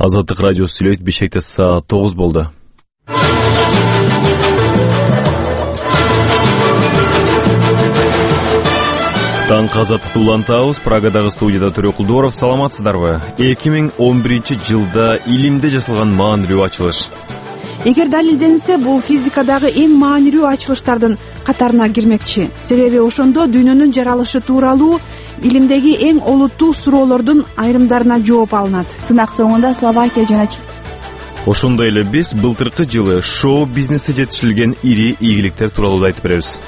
Азаттык радиосу сүйлөйт. Бишкекте саат 9 болду. Таңкы азаттыкты улантабыз. Прагадагы студияда Төрө Кулдуоров. Саламатсыздарбы? 2011-жылда илимде жасалган маанилүү ачылыш. Эгер далилденсе, бул физикадагы эң маанилүү ачылыштардын катарына кирмекчи. Себеби ошондо дүйнөнүн жаралышы тууралуу илимдеги эң олуттуу суроолордун айрымдарына жооп алынат. Сынак соңунда Словакия жана Ошондой эле биз былтыркы жылы шоу-бизнесте жетишилген ири ийгиликтер тууралуу айтып беребиз.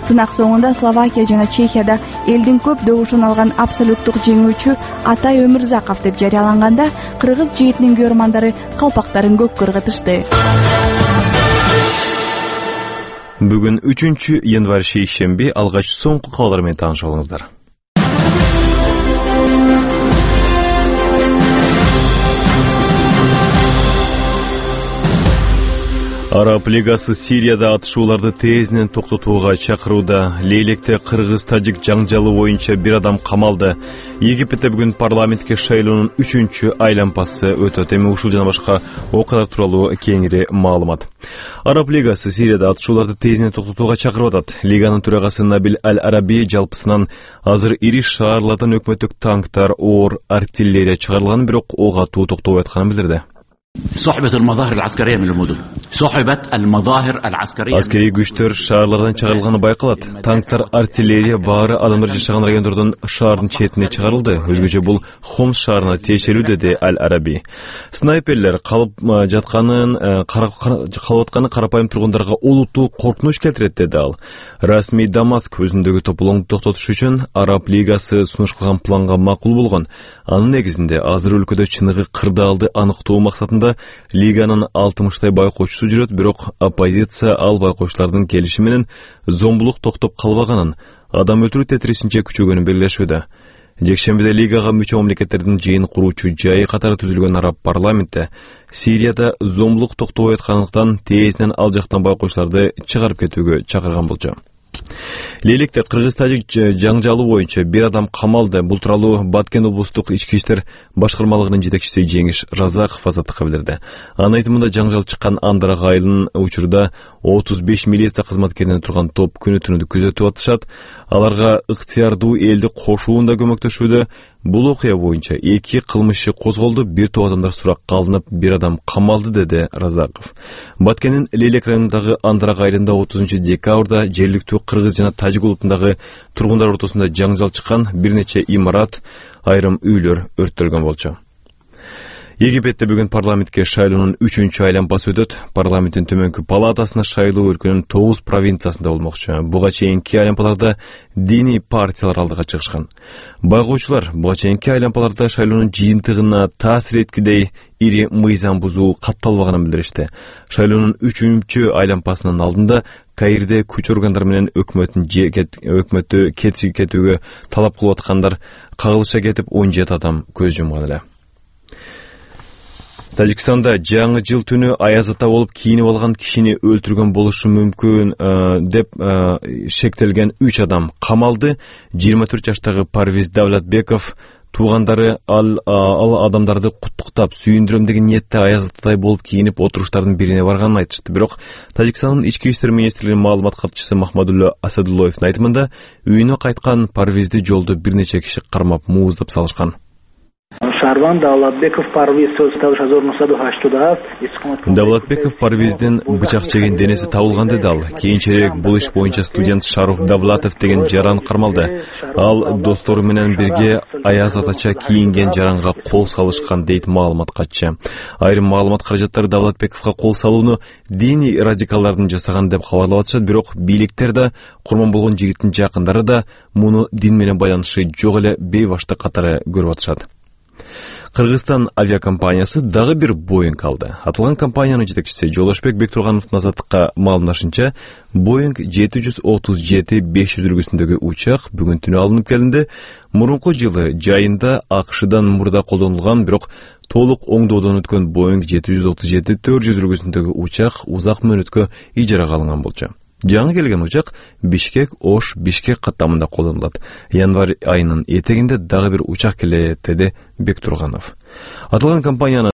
Сынак соңунда Словакия жана Чехияда элдин көп добушун алган абсолюттук жеңүүчү Атай Өмүрзаков деп жарыяланганда, кыргыз жигитинин көрмандары калпактарын көккө ыргытышты. Бүгүн 3-январь шейшемби. Алгач соңку кабарлар менен таанышып алыңыздар. Араб лигасы Сирияда атышууларды тезинен токтотууга чакырууда. Лейлекте кыргыз-тажик жаңжалы боюнча бир адам камалды. Египетте бүгүн парламентке шайлоонун 3-чү айлампасы өтөт. Эми ушул жана башка окуялар тууралуу кеңири маалымат. Араб лигасы Сирияда атышууларды тезинен токтотууга чакырып атат. Лиганын төрагасы Набил Аль-Араби жалпысынан азыр ири шаарлардан өкмөттүк танктар, оор артиллерия чыгарылганын, бирок ок атуу токтобой атканын билдирди. صحبت المظاهر العسكرية من المدن. صحبت المظاهر العسكرية. Аскери күчтөр шаарлардан чыгарылганы байкалат. Танктар, артиллерия баары адамдар жашаган райондордон шаардын четине чыгарылды. Өзгөчө бул Хомс шаарына тиешелүү, деди Аль-Араби. Снайперлер калып атканы карапайым тургундарга олуттуу коркунуч келтирет, деди ал. Расмий Дамаск өзүндөгү тополоңду токтотуш үчүн Араб лигасы сунуш кылган планга макул болгон. Анын негизинде азыр өлкөдө чыныгы кырдаалды аныктоо максатында лиганын 60 байкоочусу жүрөт, бирок оппозиция ал байкоочулардын келиши менен зомбулук токтоп калбаганын, адам өлтүрүү тетирисинче күчөгөнүн белгилешүүдө. Жекшембиде лигага мүчө мамлекеттердин жыйын куруучу жайы катары түзүлгөн араб парламентте Сирияда зомбулук токтобой аткандыктан тезинен ал жактан байкоочуларды чыгарып кетүүгө чакырган болчу. Лейлекте кыргыз-тажик жаңжалы боюнча бир адам камалды. Бул тууралуу Баткен облустук ички иштер башкармалыгынын жетекчиси Жеңиш Разаков Азаттыкка билдирди. Анын айтымында жаңжал чыккан Андарак айылынын учурда 35 милиция кызматкеринен турган топ күнү-түнү күзөтүп атышат. Аларга ыктыярдуу элди кошуунда көмөктөшүүдө. Бул окуя боюнча 2 кылмышчы козголду, бир топ адамдар суракка алынып, бир адам камалды, деди Разаков. Баткендин Лейлек районундагы Андарак айылында 30 декабрда жергиликтүү кыргыз жана тажик улутундагы тургундар ортосунда жаңжал чыккан, бир нече имарат, айрым үйлөр өрттөлгөн болчу. Египетте бүгүн парламентке шайлоонун 3-чү айлампасы өтөт. Парламенттин төмөнкү палатасына шайлоо өлкөнүн 9 провинциясында болмокчу. Буга чейинки айлампаларда диний партиялар алдыга чыгышкан. Байгоочулар буга чейинки айлампаларда шайлоонун жыйынтыгына таасир эткидей ири мыйзам бузуу катталбаганын билдиришти. Шайлоонун 3-чү айлампасынын алдында Каирде күч органдары менен өкмөттү кетүүгө талап кылып аткандар кагылыша кетип 17 адам көз жумган эле. Тажикстанда жаңы жыл түнү аяз ата болуп кийинип алган кишини өлтүргөн болушу мүмкүн деп шектелген 3 адам камалды. 24 жаштагы Парвиз Давлатбеков туугандары ал адамдарды куттуктап, сүйүндүрөм деген ниетте аяз атадай болуп кийинип отуруштардын бирине барганын айтышты. Бирок Тажикстандын ички иштер министрлигинин маалымат катчысы Махмадулло Асадуллоевдин айтымында үйүнө кайткан Парвизди жолдо бир нече киши кармап мууздап салышкан. Давлатбеков Парвиздин бычак жеген денеси табылган, деди ал. Кийинчерээк бул иш боюнча студент Шаруф Давлатов деген жаран кармалды. Ал достору менен бирге аяз атача кийинген жаранга кол салышкан, дейт маалымат катчы. Айрым маалымат каражаттары Давлатбековго кол салууну диний радикалдардын жасаган деп кабарлап атышат, бирок бийликтер да, курман болгон жигиттин жакындары да муну дин менен байланышы жок эле бейбаштык катары көрүп атышат. Кыргызстан авиакомпаниясы дагы бир Боинг алды. Аталган компаниянын жетекчиси Жолошбек Бектургановдун Азаттыкка маалымдашынча, Боинг 737-500 үлгүсүндөгү учак бүгүн түнү алынып келинди. Мурунку жылы жайында АКШдан мурда колдонулган, бирок толук оңдоодон өткөн Боинг 737-400 үлгүсүндөгү учак узак мөөнөткө ижарага алынган болчу. Жаңы келген учак Бишкек каттамында колдонулат. Январь айынын этегинде дагы бир учак келет, деди Бектурганов. Аталган компаниянын